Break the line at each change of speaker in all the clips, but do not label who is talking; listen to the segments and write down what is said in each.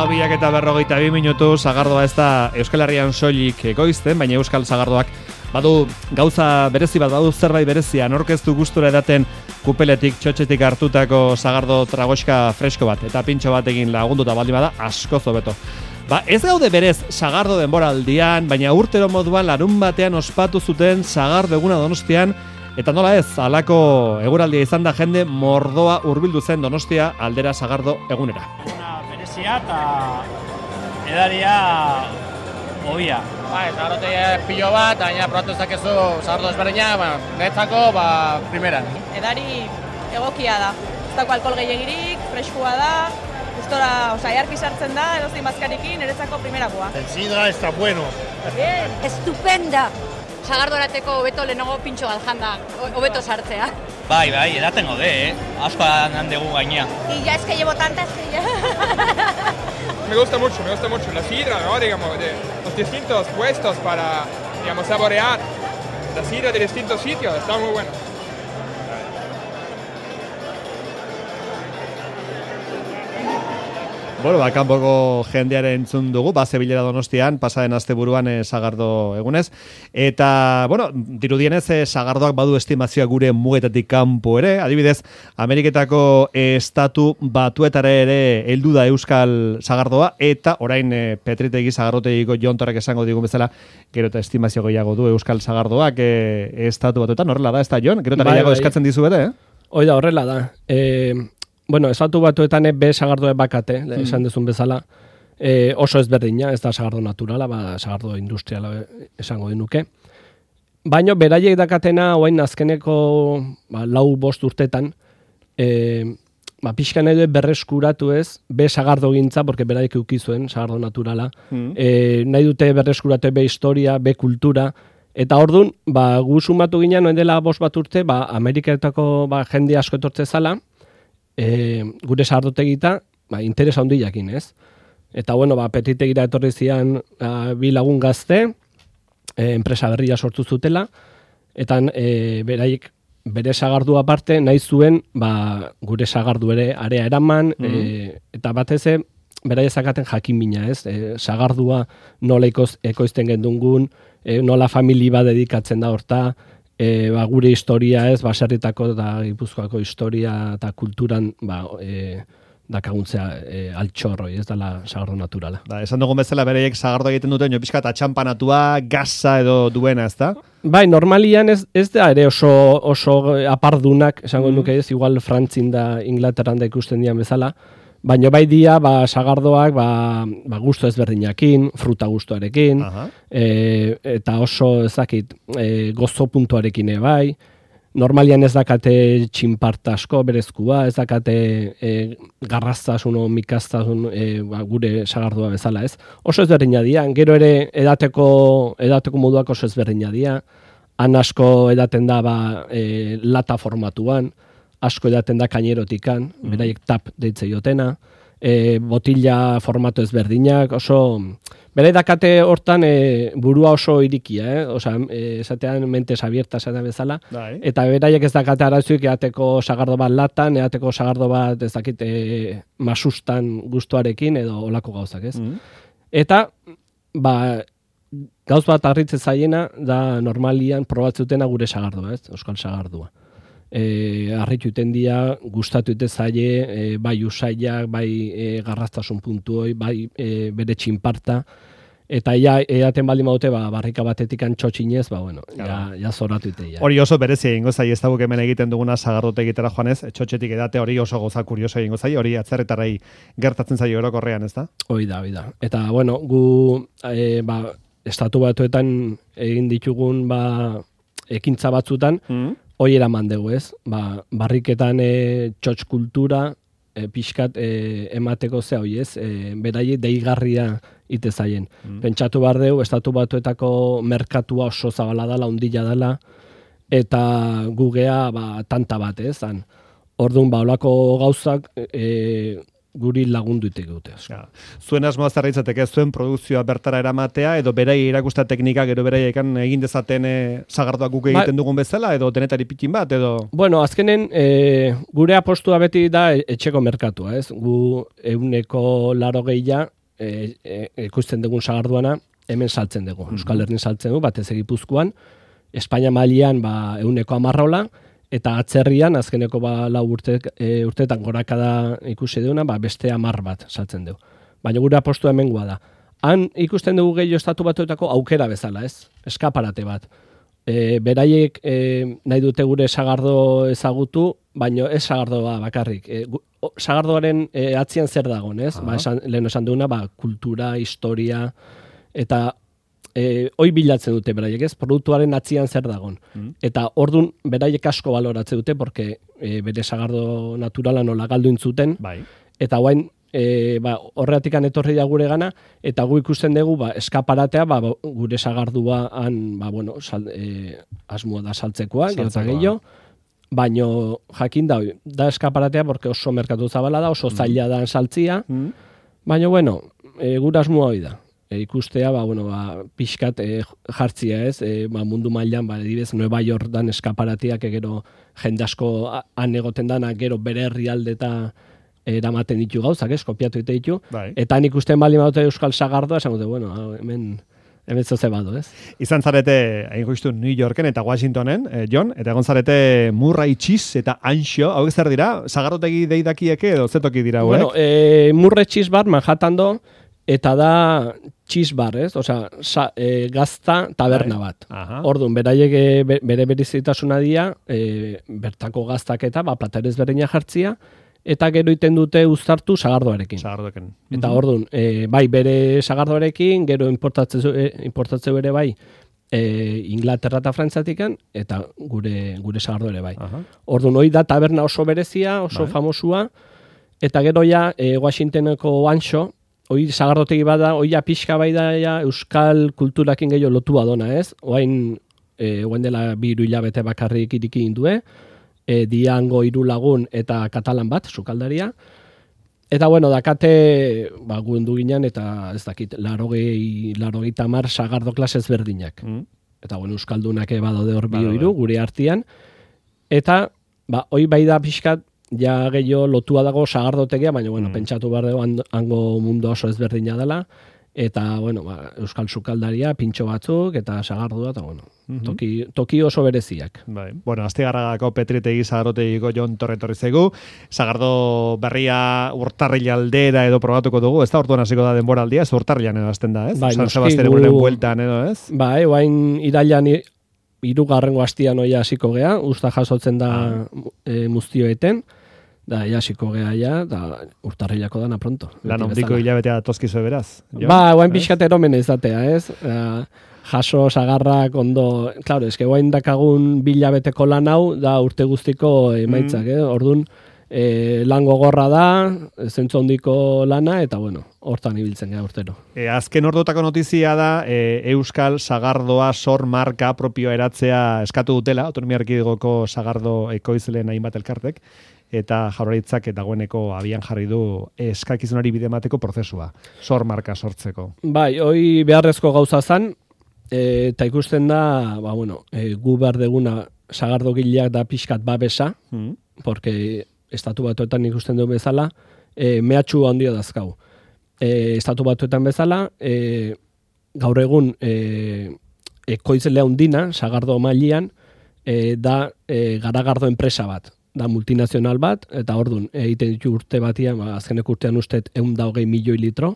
12:42 sagardoa ez da Euskal Herrian soilik ekoizten, baina Euskal Sagardoak badu gauza berezi bat, badu zerbait berezia, aurkeztu gustura edaten kupeletik, txotxetik hartutako sagardo tragoxka fresko bat, eta pintxo batekin lagunduta baldin bada asko zobeto. Ez gaude berez sagardo denboraldian, baina urtero moduan larun batean ospatu zuten sagardo eguna Donostian, eta nola ez, halako eguraldia izan da jende mordoa hurbildu zen Donostia aldera sagardo egunera.
Berezia eta edaria hobia.
Sagardote pilo bat, baina probatu ezakezu sagardo ezberdina, netzako primeran.
Edari egokia da, ez dago alkohol gehiegirik, freskua da, gustora, jarki sartzen da, edozein bazkarekin, eretzako primerakoa.
El sidra está bueno.
Bien.
Estupenda! Sagardo erateko hobeto lehenago pintxo bat janda, hobeto sartzea.
Bai, edaten gode, asko handegu gaina.
Y ya es que llevo tantas que ya...
Me gusta mucho la sidra, ¿no? Digamos, de los distintos puestos para, digamos, saborear la sidra de distintos sitios, está muy bueno.
Kanpoko jendearen entzun dugu, zebilera Donostian, pasaren asteburuan sagardo egunez. Eta, dirudienez, sagardoak badu estimazioa gure mugetatik kanpo ere. Adibidez, Ameriketako estatu batuetara ere heldu da Euskal Sagardoa, eta orain Petritegi sagardotegiko jontorrak esango digun bezala, gero eta estimazio gehiago du Euskal Sagardoak estatu batuetan, horrela da, ez da, Jon? Gero eta gehiago eskatzen dizu bere,
Hoi da, horrela da. Estatu batuetan be sagardoa bakate, esan dezun bezala, oso ezberdina, ez da sagardo naturala, sagardo industriala esango dinuke. Baina beraiek dakatena, oain azkeneko 4-5 urtetan, pixkan edo berreskuratu ez, be sagardo gintza, porque beraiek eukizuen sagardo naturala, nahi dute berreskuratu be historia, be kultura, eta orduan, gu sumatu ginen, noen dela 5 urte, Ameriketako jende asko etortze zala, gure sagardotegita, interesa handi jakin, ez? Eta, Petitegira etorri zian 2 lagun gazte, enpresa berria sortu zutela, eta beraiek bere sagardua aparte nahi zuen gure sagardu ere area eraman, eta batez beraiek zakaten jakin mina, ez? Sagardua nola ekoizten gendungun, nola famili bat dedikatzen da horta, gure historia ez, baserritako eta Gipuzkoako historia eta kulturan dakaguntzea altxorroi, ez dela sagardo naturala.
Esan dugun bezala bereiek sagardo egiten duten, pixka eta txampanatua, gaza edo duena, ez da?
Normalian ez da ere oso apardunak, esango nuke ez, igual Frantzin da Inglaterran da ikusten dian bezala, baina bai dia, sagardoak, gusto ezberdinakin, fruta gustoarekin, eta oso ezakit, gozo puntuarekin bai, normalian ez dakate txinparta asko berezkua, ez dakate garraztasun o mikaztasun gure sagardua bezala ez. Oso ezberdina dia, gero ere edateko moduak oso ezberdina dia, han asko edaten da lata formatuan, asko edaten da kainerotikan, beraiek tap deitze jotena, botila formatu ezberdinak, oso... Bere dakate hortan burua oso irikia, esatean mentes abierta esatean bezala, eta beraiek ez dakate arazuik eateko sagardo bat latan, eateko sagardo bat ez dakit masustan gustuarekin edo olako gauzak, ez? Eta, gauz bat harritzen zaiena da normalian probatzutena gure sagardua, ez? Euskal Sagardua. Arritu iten dia, gustatu ite zaie, bai usaiak, bai garraztasun puntuoi, bai bere txinparta, eta eaten baldin baute barrika batetik antxotxinez, ja zoratu ite.
Hori oso berezia egingo zai, ez dago hemen egiten duguna sagardote egitera joanez, txotxetik edate hori oso goza kurioso egingo zai, hori atzerretarai gertatzen zai orokorrean, ez da?
Hoi da. Eta, gu estatu batuetan egin ditugun ekintza batzutan, hoi eraman dugu, ez? Barriketan txotx kultura, pixkat emateko ze hoi, ez? Beraie deigarria ite zaien. Pentsatu behar dugu, estatu batuetako merkatua oso zabala dela, ondila dela, eta gugea tanta bat, ez? Orduan, olako gauzak guri lagundu dute.
Ja. Zuen asmoa zer litzateke, zuen produkzioa bertara eramatea, edo berai erakusta teknika, gero beraiek egin dezaten sagardoak guk egiten dugun bezala, edo denetari pikin bat, edo...
Bueno, azkenen, gure apostua beti da etxeko merkatua, ez? Gu 180 ikusten dugun sagarduana, hemen saltzen dugu. Euskal Herrin saltzen dugu, batez Gipuzkoan, Espainia mailan 110 eta atzerrian, azkeneko 4 urteetan gorakada ikusi duguna, beste 10 bat saltzen dugu. Baina gure apostua hemengoa da. Han ikusten dugu gehiago estatu batuetako aukera bezala, ez? Eskaparate bat. Beraiek nahi dute gure sagardo ezagutu, baina ez sagardoa bakarrik. Sagardoaren atzian zer dagoen, ez? Lehen esan duguna, kultura, historia, eta hoi bilatzen dute beraiek, ez? Produktuaren atzian zer dagoen. Eta ordun beraiek asko baloratzen dute, porque bere sagardo naturala nola galdu intzuten, eta guain horreatikan etorri da gure gana, eta gu ikusten dugu eskaparatea gure sagardua asmoa da saltzekoa, gerta gehiago, baino jakin da eskaparatea, porque oso merkatu zabala da, oso zaila da saltzia, baina gure asmoa hori da. Ikustea, pixkat jartzia, ez? Mundu mailan, adibidez, Nueva York dan eskaparatiak, gero jende asko han egoten dana, gero bere herrialde eta eramaten ditu gauzak, ez? Kopiatu ditu. Eta han ikusten bali maute euskal sagardoa, esan dute, hemen zoze bado, ez?
Izan zarete, hain justu, New Yorken eta Washingtonen, Jon, eta egon zarete Murray Cheese eta Anxo, hau zer dira? Sagardotegi deidakieke edo zetoki dira,
Murray Cheese Bar, Manhattan do, eta da cheese bar, ez? Osea, gazta taberna bat. Orduan, beraiek bere berezitasuna dira, bertako gaztaketa, platerez berdina jartzia, eta gero iten dute uztartu sagardoarekin. Eta orduan, bere sagardoarekin, gero importatzeu ere Inglaterra eta Frantzatikan, eta gure sagardo ere Orduan, hoi da taberna oso berezia, oso famosua, eta gero Washingtoneko Anxo, hoi sagardotegi bada, hoi pixka da euskal kulturakin gehiago lotua dona, ez? Oain dela 2 hilabete bakarrik iriki indue, Diango 3 lagun eta katalan bat, sukaldaria. Eta dakate, guendu ginen, eta ez dakit, 80 sagardo klasez berdinak. Eta euskaldunak badaude hor 2-3 gure artean. Eta hoi da pixkat, ja gehiago lotua dago sagardotegia, baina pentsatu behar dugu hango mundu oso ezberdina dela, eta euskal sukaldaria, pintxo batzuk, eta sagardua, eta toki oso bereziak.
Astigarragako Petritegi sagardotegiko Jon torri zaigu, sagardo berria urtarrila aldera edo probatuko dugu, ez da orduan hasiko da denboraldia, ez urtarrilan edo azten da, ez? San Sebastian egunen bueltan edo, ez?
Oain irailan 3. hastian oia hasiko gea, usta jasotzen da muztioeten, da hasiko gea da urtarrilako dana pronto.
Lan ondiko hilabetea tozkizu beraz.
Oain pixkat eromen izatea, ez? Jaso sagarrak ondo, claro, eske oain dakagun 2 hilabeteko lan hau da urte guztiko emaitzak, Orduan, lan gogorra da, zentzu hondiko lana, eta hortan ibiltzen gara urtero.
Azken ordotako notizia da, Euskal Sagardoa sor marka propioa eratzea eskatu dutela, Autonomia Erkidegoko sagardo ekoizleen hainbat elkartek, eta Jaurlaritzak dagoeneko abian jarri du eskakizunari bide emateko prozesua, sor marka sortzeko.
Hoi beharrezko gauza zan, eta ikusten da, gu behar deguna sagardogileak da pixkat babesa, porque estatu batuetan ikusten du bezala, mehatxu handia dazkau. Estatu batuetan bezala, gaur egun ekoizlea handina, sagardo mailian, da garagardo enpresa bat, da multinazional bat, eta orduan, egiten ditu urte batian, azkenek urtean ustet 120 milioi litro,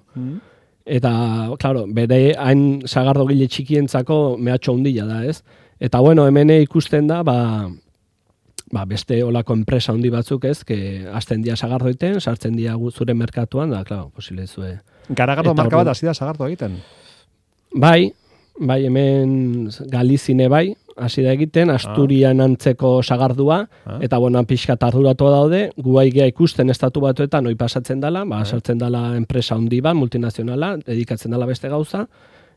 eta, claro, bere hain sagardo gile txikientzako mehatxo handia da, ez? Eta, hemen ikusten da, beste olako enpresa handi batzuk, ez, hasten dia sagardoiten, sartzen dia zure merkatuan, da, claro, posile zue.
Garagardo marka bat hasi da sagardo egiten?
Bai, hemen Galizine hasi da egiten, Asturian antzeko sagardua, eta pixkat arduratu daude, guaigea ikusten estatu batuetan hoi pasatzen dela, sartzen dela enpresa handi bat, multinazionala, dedikatzen dela beste gauza,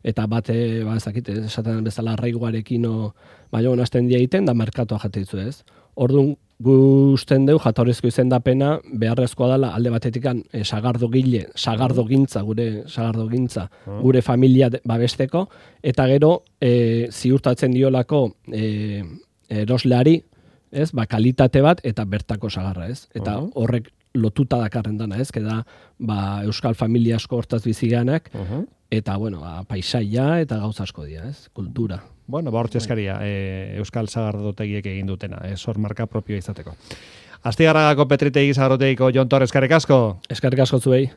eta esaten bezala arraiguarekin, hasten dia egiten, da merkatua jatitzu ez. Orduan, Gusten deu jatorrizko izendapena beharrezkoa dela alde batetikan sagardogile, sagardogintza, gure familia babesteko, eta gero ziurtatzen diolako erosleari, ez, kalitate bat eta bertako sagarra, ez? Eta horrek lotuta dakarren dana, ez? Keda euskal familia asko hortaz biziganak, eta paisaia eta gauza asko dira, ez? Kultura.
Bueno, hortxe eskaria, euskal sagardotegiek egin dutena, hor marka propioa izateko. Astigarragako Petritegi sagardotegiko Jon Torres, eskerrik asko.
Eskerrik asko zuei.